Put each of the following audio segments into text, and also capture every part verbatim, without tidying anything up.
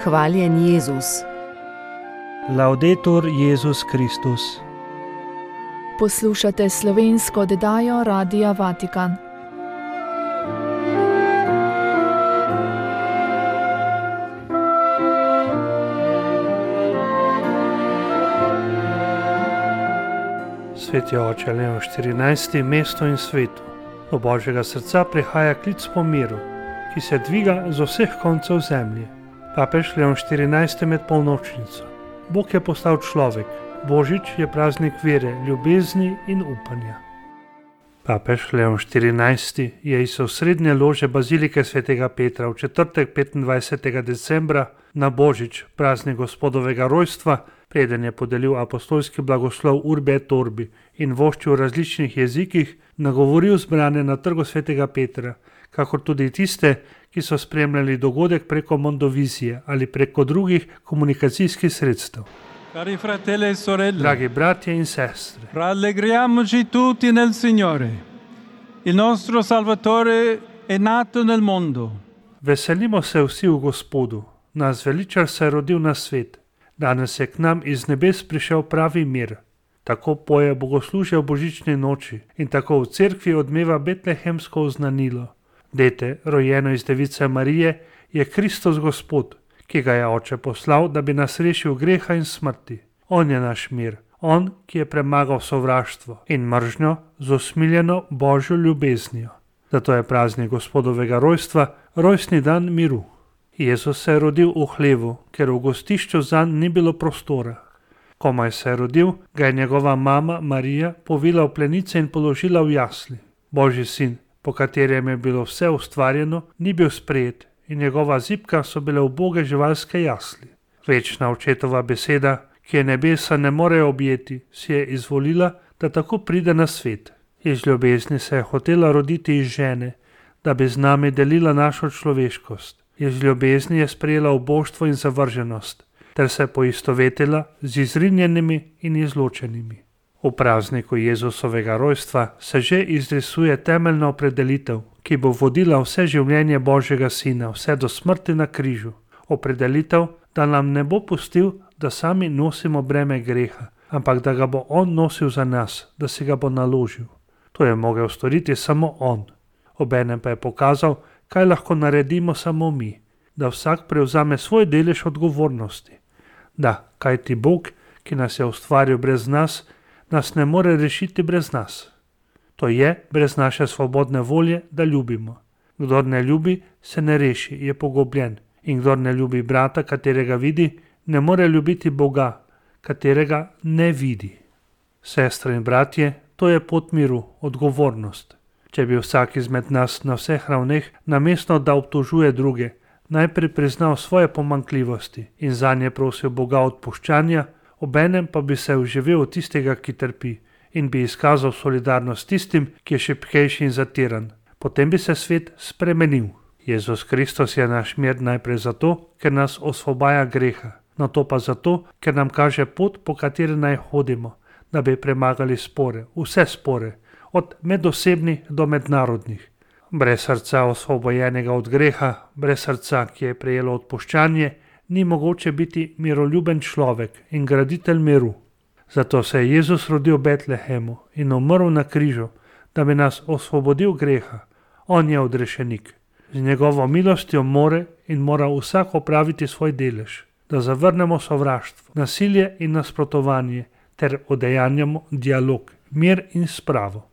Hvaljen Jezus. Laudetur Jezus Kristus. Poslušate slovensko oddajo Radia Vatikan. Sveti oče Leon štirinajsti, mesto in svetu. Do Božjega srca prihaja klic po miru, ki se dviga z vseh koncev zemlje. Papež Leon štirinajsti med polnočnico. Bog je postal človek. Božič je praznik vere, ljubezni in upanja. Papež Leon štirinajsti je iz osrednje lože bazilike svetega Petra v četrtek petindvajsetega decembra na Božič, praznik Gospodovega rojstva, preden je podelil apostolski blagoslov Urbi et Orbi in voščil v različnih jezikih, nagovoril zbrane na trgu svetega Petra, kakor tudi tiste, ki so spremljali dogodek preko mondovizije ali preko drugih komunikacijskih sredstev. Cari fratelli e sorelle, Dragi bratje in sestre, rallegriamoci tutti nel Signore. Il nostro Salvatore è nato nel mondo. veselimo se vsi v Gospodu, nas veličar se je rodil na svet. Danes je k nam iz nebes prišel pravi mir. Tako poje bogoslužje v božični noči in tako v cerkvi odmeva betlehemsko oznanilo. Dete, rojeno iz device Marije, je Kristus Gospod, ki ga je oče poslal, da bi nas rešil greha in smrti. On je naš mir, on, ki je premagal sovraštvo in mržnjo z usmiljeno Božjo ljubeznijo. Zato je praznik Gospodovega rojstva rojstni dan miru. Jezus se je rodil v hlevu, ker v gostišču zanj ni bilo prostora. Komaj se je rodil, ga je njegova mama Marija povila v plenice in položila v jasli. Božji sin, po katerem je bilo vse ustvarjeno, ni bil sprejet in njegova zibka so bile uboge živalske jasli. Večna očetova beseda, ki je nebesa ne more objeti, si je izvolila, da tako pride na svet. Iz ljubezni se je hotela roditi iz žene, da bi z nami delila našo človeškost. Iz ljubezni je sprejela uboštvo in zavrženost, ter se poistovetila z izrinjenimi in izločenimi. V prazniku Jezusovega rojstva se že izrisuje temeljna opredelitev, ki bo vodila vse življenje Božjega sina, vse do smrti na križu. Opredelitev, da nam ne bo pustil, da sami nosimo breme greha, ampak da ga bo on nosil za nas, da si ga bo naložil. To je mogel storiti samo on. Obenem pa je pokazal, kaj lahko naredimo samo mi, da vsak prevzame svoj delež odgovornosti. Da, kajti Bog, ki nas je ustvaril brez nas, nas ne more rešiti brez nas. To je brez naše svobodne volje, da ljubimo. Kdor ne ljubi, se ne reši, je pogobljen. In kdor ne ljubi brata, katerega vidi, ne more ljubiti Boga, katerega ne vidi. Sestre in bratje, to je pot miru, odgovornost. Če bi vsak izmed nas na vseh ravneh, namesto da obtožuje druge, najprej priznal svoje pomanjkljivosti in zanje prosil Boga odpuščanja, obenem pa bi se vživel v tistega, ki trpi, in bi izkazal solidarnost tistim, ki je šibkejši in zatiran. Potem bi se svet spremenil. Jezus Kristus je naš mir najprej zato, ker nas osvobaja greha, nato pa zato, ker nam kaže pot, po kateri naj hodimo, da bi premagali spore, vse spore, od medosebnih do mednarodnih. Brez srca osvobojenega od greha, brez srca, ki je prejelo odpuščanje, ni mogoče biti miroljuben človek in graditelj miru. Zato se je Jezus rodil v Betlehemu in umrl na križu, da bi nas osvobodil greha. On je odrešenik. Z njegovo milostjo more in mora vsak opraviti svoj delež, da zavrnemo sovraštvo, nasilje in nasprotovanje ter udejanjamo dialog, mir in spravo.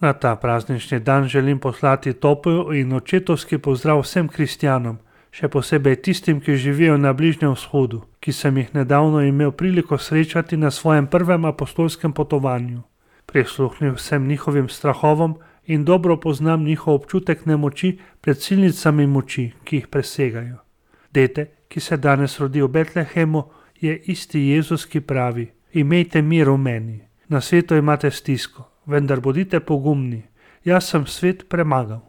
Na ta praznični dan želim poslati topel in očetovski pozdrav vsem kristjanom, še posebej tistim, ki živijo na Bližnjem vzhodu, ki sem jih nedavno imel priliko srečati na svojem prvem apostolskem potovanju. Prisluhnil sem njihovim strahovom in dobro poznam njihov občutek nemoči pred silnicami moči, ki jih presegajo. Dete, ki se danes rodi v Betlehemu, je isti Jezus, ki pravi: imejte mir v meni. Na svetu imate stisko, vendar bodite pogumni. Jaz sem svet premagal.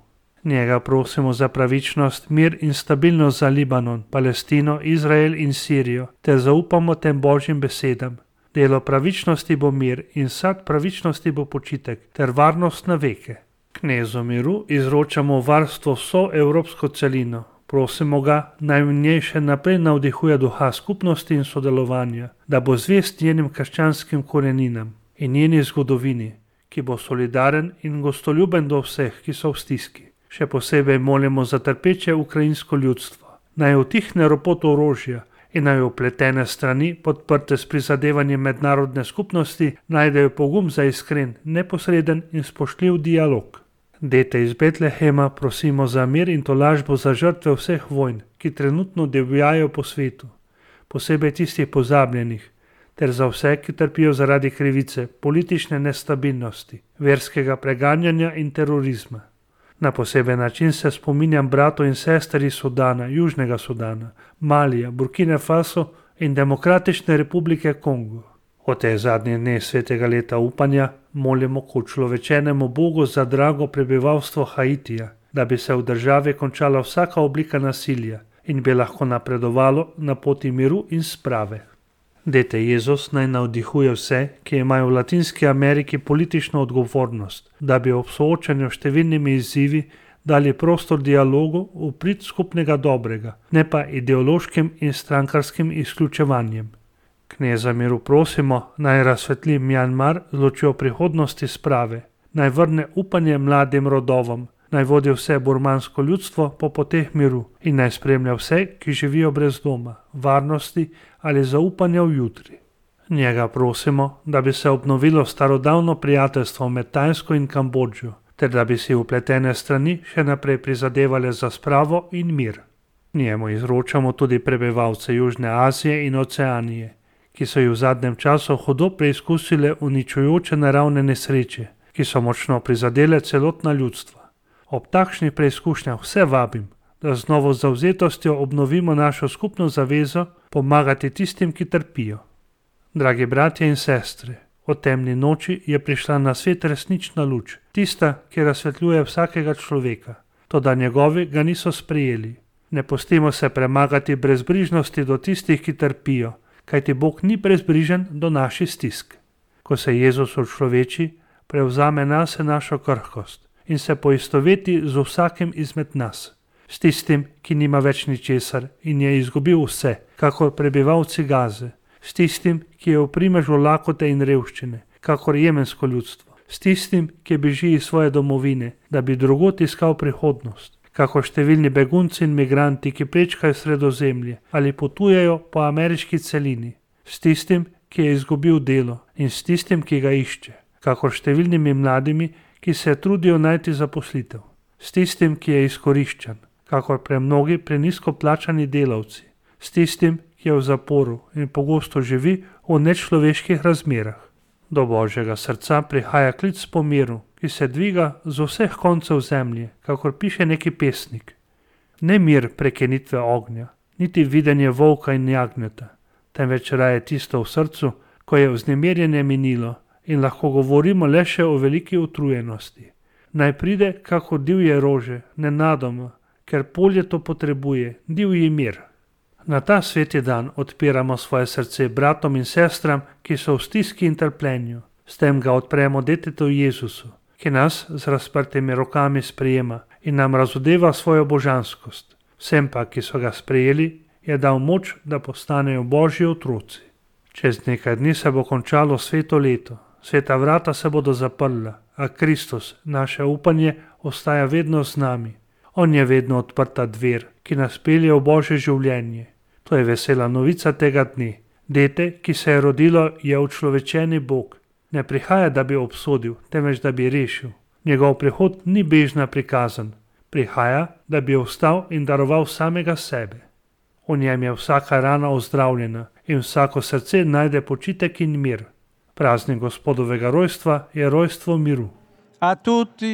Njega prosimo za pravičnost, mir in stabilnost za Libanon, Palestino, Izrael in Sirijo, ter zaupamo tem Božjim besedam. Delo pravičnosti bo mir in sad pravičnosti bo počitek, ter varnost na veke. Knezu miru izročamo varstvo vso evropsko celino, Prosimo ga, naj v njej še naprej navdihuje duha skupnosti in sodelovanja, da bo zvest njenim krščanskim koreninam in njeni zgodovini, ki bo solidaren in gostoljuben do vseh, ki so v stiski. Še posebej molimo za trpeče ukrajinsko ljudstvo, naj utihne ropot orožja in naj vpletene strani, podprte s prizadevanjem mednarodne skupnosti, najdejo pogum za iskren, neposreden in spoštljiv dialog. Dete iz Betlehema prosimo za mir in tolažbo za žrtve vseh vojn, ki trenutno divjajo po svetu, posebej tistih pozabljenih, ter za vse, ki trpijo zaradi krivice, politične nestabilnosti, verskega preganjanja in terorizma. Na poseben način se spominjam bratov in sester iz Sudana, Južnega Sudana, Malija, Burkine Faso in Demokratične republike Kongo. O te zadnje dne svetega leta upanja molimo k učlovečenemu Bogu za drago prebivalstvo Haitija, da bi se v državi končala vsaka oblika nasilja in bi lahko napredovalo na poti miru in sprave. Dete Jezus naj navdihuje vse, ki imajo v Latinski Ameriki politično odgovornost, da bi ob soočanju s številnimi izzivi dali prostor dialogu v prid skupnega dobrega, ne pa ideološkim in strankarskim izključevanjem. Kneza miru prosimo, naj razsvetli Mjanmar z lučjo prihodnosti sprave, naj vrne upanje mladim rodovom, naj vodi vse burmansko ljudstvo po poteh miru in naj spremlja vse, ki živijo brez doma, varnosti ali zaupanja v jutri. Njega prosimo, da bi se obnovilo starodavno prijateljstvo med Tajsko in Kambodžo, ter da bi si vpletene strani še naprej prizadevale za spravo in mir. Njemu izročamo tudi prebivalce Južne Azije in Oceanije, ki so jih v zadnjem času hudo preizkusile uničujoče naravne nesreče, ki so močno prizadele celotna ljudstva. Ob takšnih preizkušnjah vse vabim, da z novo zavzetostjo obnovimo našo skupno zavezo pomagati tistim, ki trpijo. Dragi bratje in sestre, o temni noči je prišla na svet resnična luč, tista, ki razsvetljuje vsakega človeka, toda njegovi ga niso sprejeli. Ne pustimo se premagati brezbrižnosti do tistih, ki trpijo, kajti Bog ni brezbrižen do naših stisk. Ko se Jezus učloveči, prevzame nase našo krhkost in se poistoveti z vsakim izmed nas, s tistim, ki nima več ničesar in je izgubil vse, kakor prebivalci Gaze, s tistim, ki je v primežu lakote in revščine, kakor jemensko ljudstvo, s tistim, ki beži iz svoje domovine, da bi drugod iskal prihodnost, kakor številni begunci in migranti, ki prečkajo Sredozemlje ali potujejo po ameriški celini, s tistim, ki je izgubil delo in s tistim, ki ga išče, kakor številnimi mladimi, ki se trudijo najti zaposlitev, s tistim, ki je izkoriščan, kakor premnogi prenisko plačani delavci, s tistim, ki je v zaporu in pogosto živi v nečloveških razmerah. Do Božjega srca prihaja klic po miru, ki se dviga z vseh koncev zemlje, kakor piše neki pesnik. Ne mir prekinitve ognja, niti videnje volka in jagnjeta, temveč raje tisto v srcu, ko je vznemirjenje minilo in lahko govorimo le še o veliki utrujenosti. Naj pride kakor divje rože, nenadoma, ker polje to potrebuje, divji mir. Na ta sveti dan odpiramo svoje srce bratom in sestram, ki so v stiski in trpljenju. S tem ga odpremo detetu Jezusu, ki nas z razprtimi rokami sprejema in nam razodeva svojo božanskost. Vsem pa, ki so ga sprejeli, je dal moč, da postanejo Božji otroci. Čez nekaj dni se bo končalo sveto leto, sveta vrata se bodo zaprla, a Kristus, naše upanje, ostaja vedno z nami. On je vedno odprta dver, ki nas pelje v Božje življenje. To je vesela novica tega dne. Dete, ki se je rodilo, je učlovečeni Bog. Ne prihaja, da bi obsodil, temveč da bi rešil. Njegov prihod ni bežna prikazan. Prihaja, da bi ostal in daroval samega sebe. V njem je vsaka rana ozdravljena in vsako srce najde počitek in mir. Praznik Gospodovega rojstva je rojstvo miru.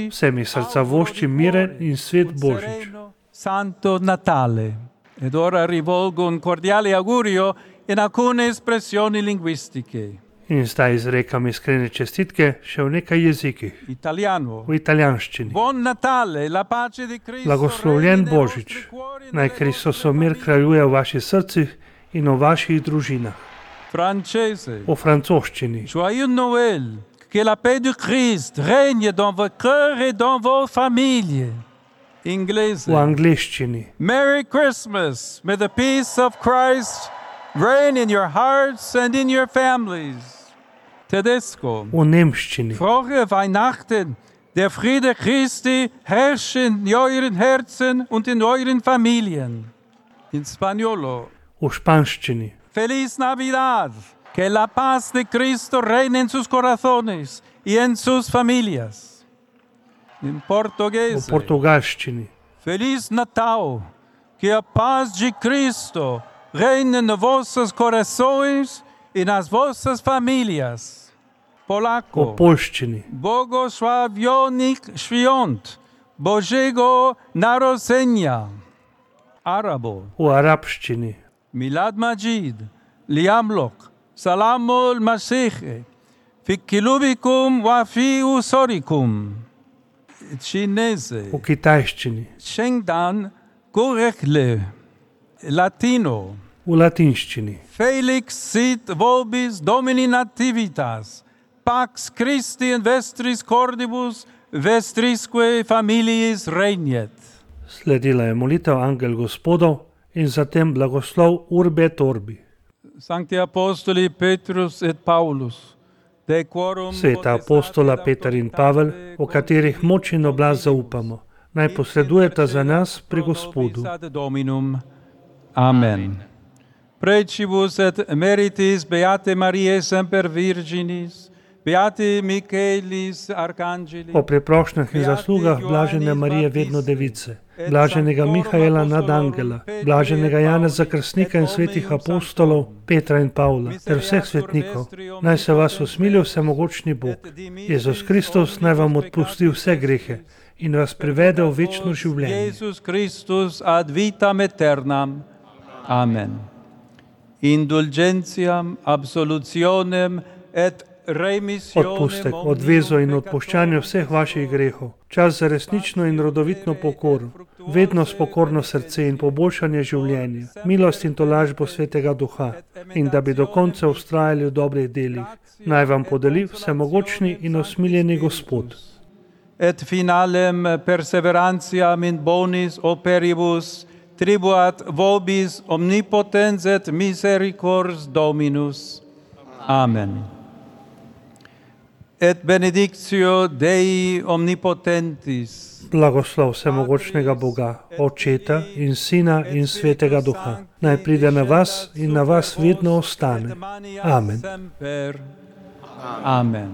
Vse mi srca vošči miren in svet Božič. Santo Natale. Ed ora rivolgo un cordiale augurio in alcune espressioni linguistiche. In zdaj izrekam iskrene čestitke še v nekaj jezikih. Italiano. V italijanščini. Buon Natale, la pace di Cristo. Blagoslovljen Božič. Naj Kristusov mir kraljuje v vaših srcih in v vaših družinah. Francese. V francoščini. Joyeux Noël. Que la paix du Christ règne dans vos cœurs et dans vos familles. Inglese. v angleščini. Merry Christmas. May the peace of Christ reign in your hearts and in your families. Tedesco. V nemščini. Frohe Weihnachten. Der Friede Christi herrsche in euren Herzen und in euren Familien. In Spaniolo. V španščini. Feliz Navidad. Que la paz de Cristo reine en sus corazones y en sus familias. In V portuguese. portugalščini. Feliz Natal. Que a paz de Cristo reine nos vossos corações e nas vossas famílias. V Polaco. poljščini. Błogosławionych świąt Bożego Narodzenia. Arabo. V arabščini. Milad Majid. Liamlok. Salamul Masih. Fi kilubikum wa fi usorikum. Cinese. V kitajščini. Shengdan Gorekle. Latino. V latinščini. Felix sit vobis domini nativitas. Pax Christi in vestris cordibus vestrisque familiis regnet. Sledila je molitev Angel Gospodov in zatem blagoslov Urbe et Orbi. Sancti Apostoli Petrus et Paulus. De quorum Sveta apostola Peter in Pavel, o katerih moč in oblast zaupamo, naj posredujeta za nas pri Gospodu. Dominum. Amen. Precibus et meritis Beate Mariae semper Virginis, Beati Michaelis Archangelis, O preprošnjah in zaslugah blažene Marije vedno device, blaženega Mihaela nad angela, blaženega Janeza Krstnika in svetih apostolov Petra in Pavla ter vseh svetnikov, naj se vas usmili vsemogočni Bog. Jezus Kristus naj vam odpusti vse grehe in vas privede v večno življenje. Jesus Christus ad vitam aeternam. Amen. Indulgentiam, absolutionem et Odpustek, odvezo in odpuščanje vseh vaših grehov, čas za resnično in rodovitno pokoro, vedno s pokorno srce in poboljšanje življenja, milost in tolažbo Svetega Duha in da bi do konca ustrajali v dobrih delih, naj vam podeli vsemogočni in osmiljeni Gospod. Et finalem perseverantiam in bonis operibus tribuat vobis omnipotens et misericors Dominus. Amen. Et benedictio Dei omnipotentis, Blagoslov vsemogočnega Boga, Očeta in Sina in Svetega Duha, naj pride na vas in na vas vedno ostane. Amen. Amen.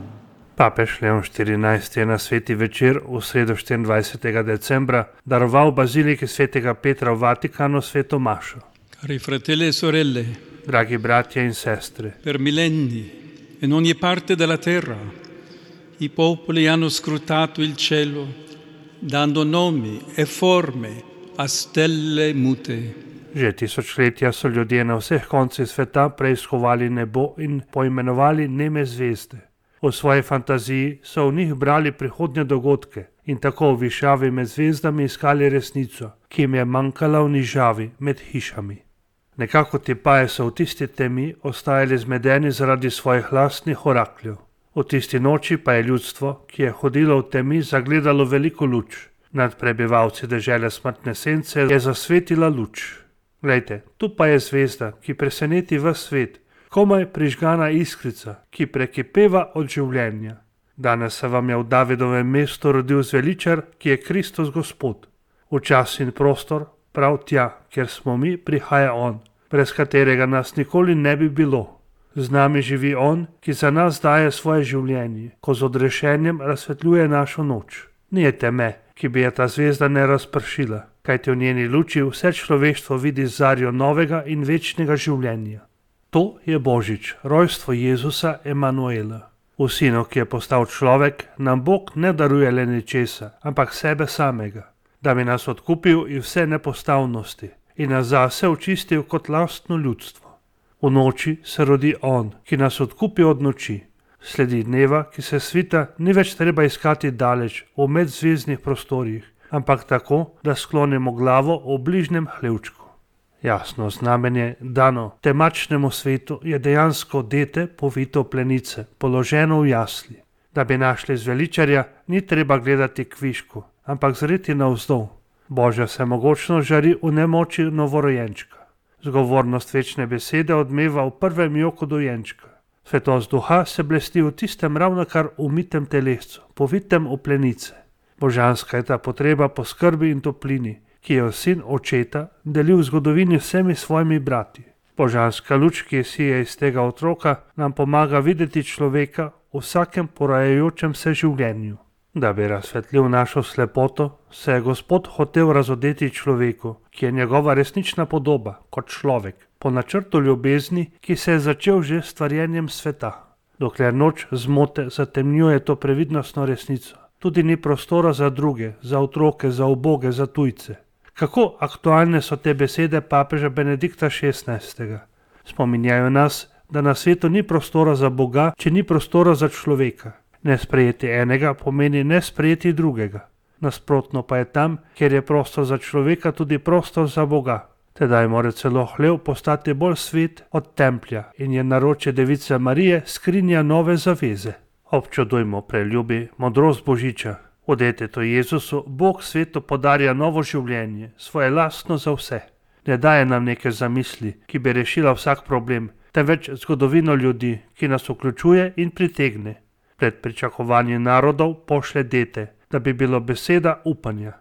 Papež Leon štirinajsti je na sveti večer v sredo štiriindvajsetega decembra daroval baziliki svetega Petra v Vatikanu sveto mašo. Cari fratelli e sorelle, Dragi bratje in sestre, per millenni in ogni parte della terra i popoli hanno scrutato il cielo, dando nomi e forme a stelle mute. že tisočletja so ljudje na vseh koncih sveta preiskovali nebo in poimenovali neme zvezde. V svoji fantaziji so v njih brali prihodnje dogodke in tako v višavi med zvezdami iskali resnico, ki jim je manjkala v nižavi med hišami. Nekako ti paje so v tisti temi ostajali zmedeni zaradi svojih lastnih orakljev. V tisti noči pa je ljudstvo, ki je hodilo v temi, zagledalo veliko luč. Nad prebivalci dežele smrtne sence je zasvetila luč. Glejte, tu pa je zvezda, ki preseneti ves svet, komaj prižgana iskrica, ki prekipeva od življenja. Danes se vam je v Davidovem mestu rodil zveličar, ki je Kristus Gospod. V čas in prostor, prav tja, kjer smo mi, prihaja On, brez katerega nas nikoli ne bi bilo. Z nami živi On, ki za nas daje svoje življenje, ko z odrešenjem razsvetljuje našo noč. Nije teme, ki bi je ta zvezda ne razpršila, kajti v njeni luči vse človeštvo vidi zarjo novega in večnega življenja. To je Božič, rojstvo Jezusa Emanuela. V Sinu, ki je postal človek, nam Bog ne daruje le ničesa, ampak sebe samega, da bi nas odkupil iz vse nepostavnosti in nas zase očistil kot lastno ljudstvo. V noči se rodi On, ki nas odkupi od noči. Sledi dneva, ki se svita, ni več treba iskati daleč v medzvezdnih prostorih, ampak tako, da sklonimo glavo v bližnjem hlevčku. Jasno znamenje dano temačnemu svetu je dejansko dete povito plenice, položeno v jasli. Da bi našli zveličarja, ni treba gledati kvišku, ampak zreti navzdol. Božja vsemogočnost žari v nemoči novorojenčka. Zgovornost večne besede odmeva v prvem joku dojenčka. Svetost duha se blesti v tistem ravnokar umitem telescu, povitem v plenice. Božanska je ta potreba po skrbi in toplini, ki jo sin očeta deli v zgodovini vsemi svojimi brati. Božanska luč, ki sije iz tega otroka, nam pomaga videti človeka v vsakem porajajočem se življenju. Da bi razsvetlil našo slepoto, se je Gospod hotel razodeti človeku, ki je njegova resnična podoba, kot človek, po načrtu ljubezni, ki se je začel že s stvarjenjem sveta. Dokler noč zmote zatemnjuje to previdnostno resnico, tudi ni prostora za druge, za otroke, za uboge, za tujce. Kako aktualne so te besede papeža Benedikta šestnajstega. Spominjajo nas, da na svetu ni prostora za Boga, če ni prostora za človeka. Nesprejeti enega pomeni nesprejeti drugega. Nasprotno pa je tam, kjer je prostor za človeka, tudi prostor za Boga. Tedaj mora celo hlev postati bolj svet od templja in je naročje device Marije skrinja nove zaveze. Občudujmo, preljubi, modrost Božiča. V detetu Jezusu Bog svetu podarja novo življenje, svoje lastno za vse. Ne daje nam neke zamisli, ki bi rešila vsak problem, temveč zgodovino ljudi, ki nas vključuje in pritegne. Pred pričakovanjem narodov pošle dete, da bi bilo beseda upanja.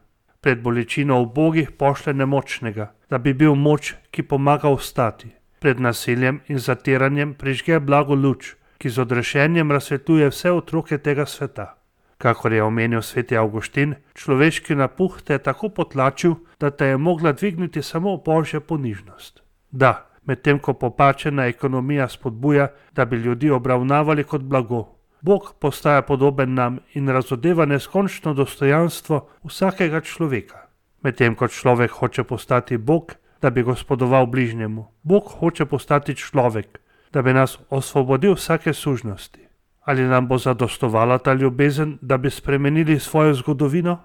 Pred bolečino ubogih pošle nemočnega, da bi bil moč, ki pomaga vstati. Pred nasiljem in zatiranjem prižge blago luč, ki z odrešenjem razsvetljuje vse otroke tega sveta. Kakor je omenil sveti Avguštin, človeški napuh te je tako potlačil, da te je mogla dvigniti samo Božja ponižnost. Da, medtem ko popačena ekonomija spodbuja, da bi ljudi obravnavali kot blago, Bog postaja podoben nam in razodeva neskončno dostojanstvo vsakega človeka. Medtem ko človek hoče postati Bog, da bi gospodoval bližnjemu, Bog hoče postati človek, da bi nas osvobodil vsake sužnosti. Ali nam bo zadostovala ta ljubezen, da bi spremenili svojo zgodovino?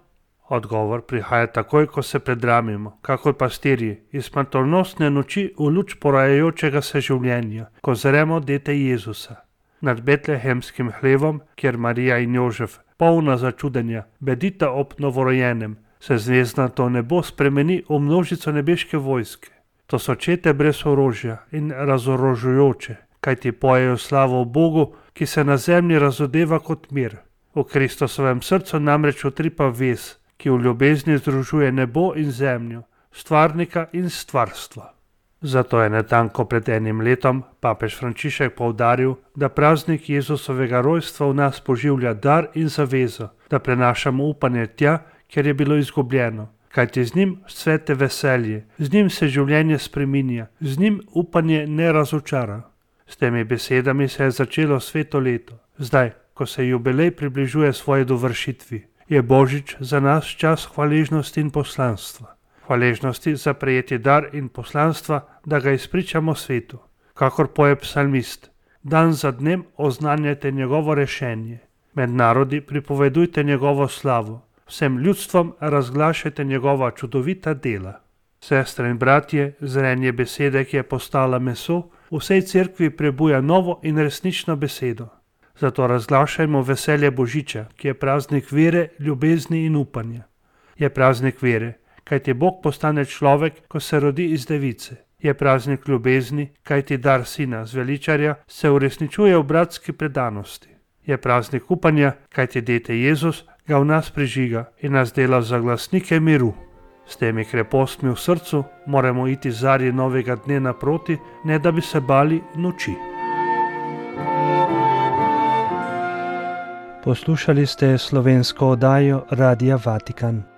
Odgovor prihaja takoj, ko se predramimo, kakor pastirji, iz smrtonosne noči v luč porajajočega se življenja, ko zremo dete Jezusa. Nad betlehemskim hlevom, kjer Marija in Jožef, polna začudenja, bedita ob novorojenem, se zvezdnato nebo spremeni v množico nebeške vojske. To so čete brez orožja in razorožujoče, kajti pojejo slavo Bogu, ki se na zemlji razodeva kot mir. V Kristusovem srcu namreč utripa vez, ki v ljubezni združuje nebo in zemljo, stvarnika in stvarstva. Zato je natanko pred enim letom papež Frančišek poudaril, da praznik Jezusovega rojstva v nas poživlja dar in zavezo, da prenašamo upanje tja, kjer je bilo izgubljeno, kajti z njim cvete veselje, z njim se življenje spreminja, z njim upanje ne razočara. S temi besedami se je začelo sveto leto. Zdaj, ko se jubilej približuje svoji dovršitvi, je Božič za nas čas hvaležnosti in poslanstva. Hvaležnosti za prejeti dar in poslanstva, da ga izpričamo svetu. Kakor poje psalmist, dan za dnem oznanjajte njegovo rešenje. Med narodi pripovedujte njegovo slavo. Vsem ljudstvom razglašajte njegova čudovita dela. Sestre in bratje, zrenje besede, ki je postala meso, v vsej cerkvi prebuja novo in resnično besedo. Zato razglašajmo veselje Božiča, ki je praznik vere, ljubezni in upanja. Je praznik vere, kajti Bog postane človek, ko se rodi iz device. Je praznik ljubezni, kajti dar sina zveličarja se uresničuje v bratski predanosti. Je praznik upanja, kajti dete Jezus ga v nas prižiga in nas dela za glasnike miru. S temi krepostmi v srcu moramo iti zarji novega dne naproti, ne da bi se bali noči. Poslušali ste slovensko oddajo Radia Vatikan.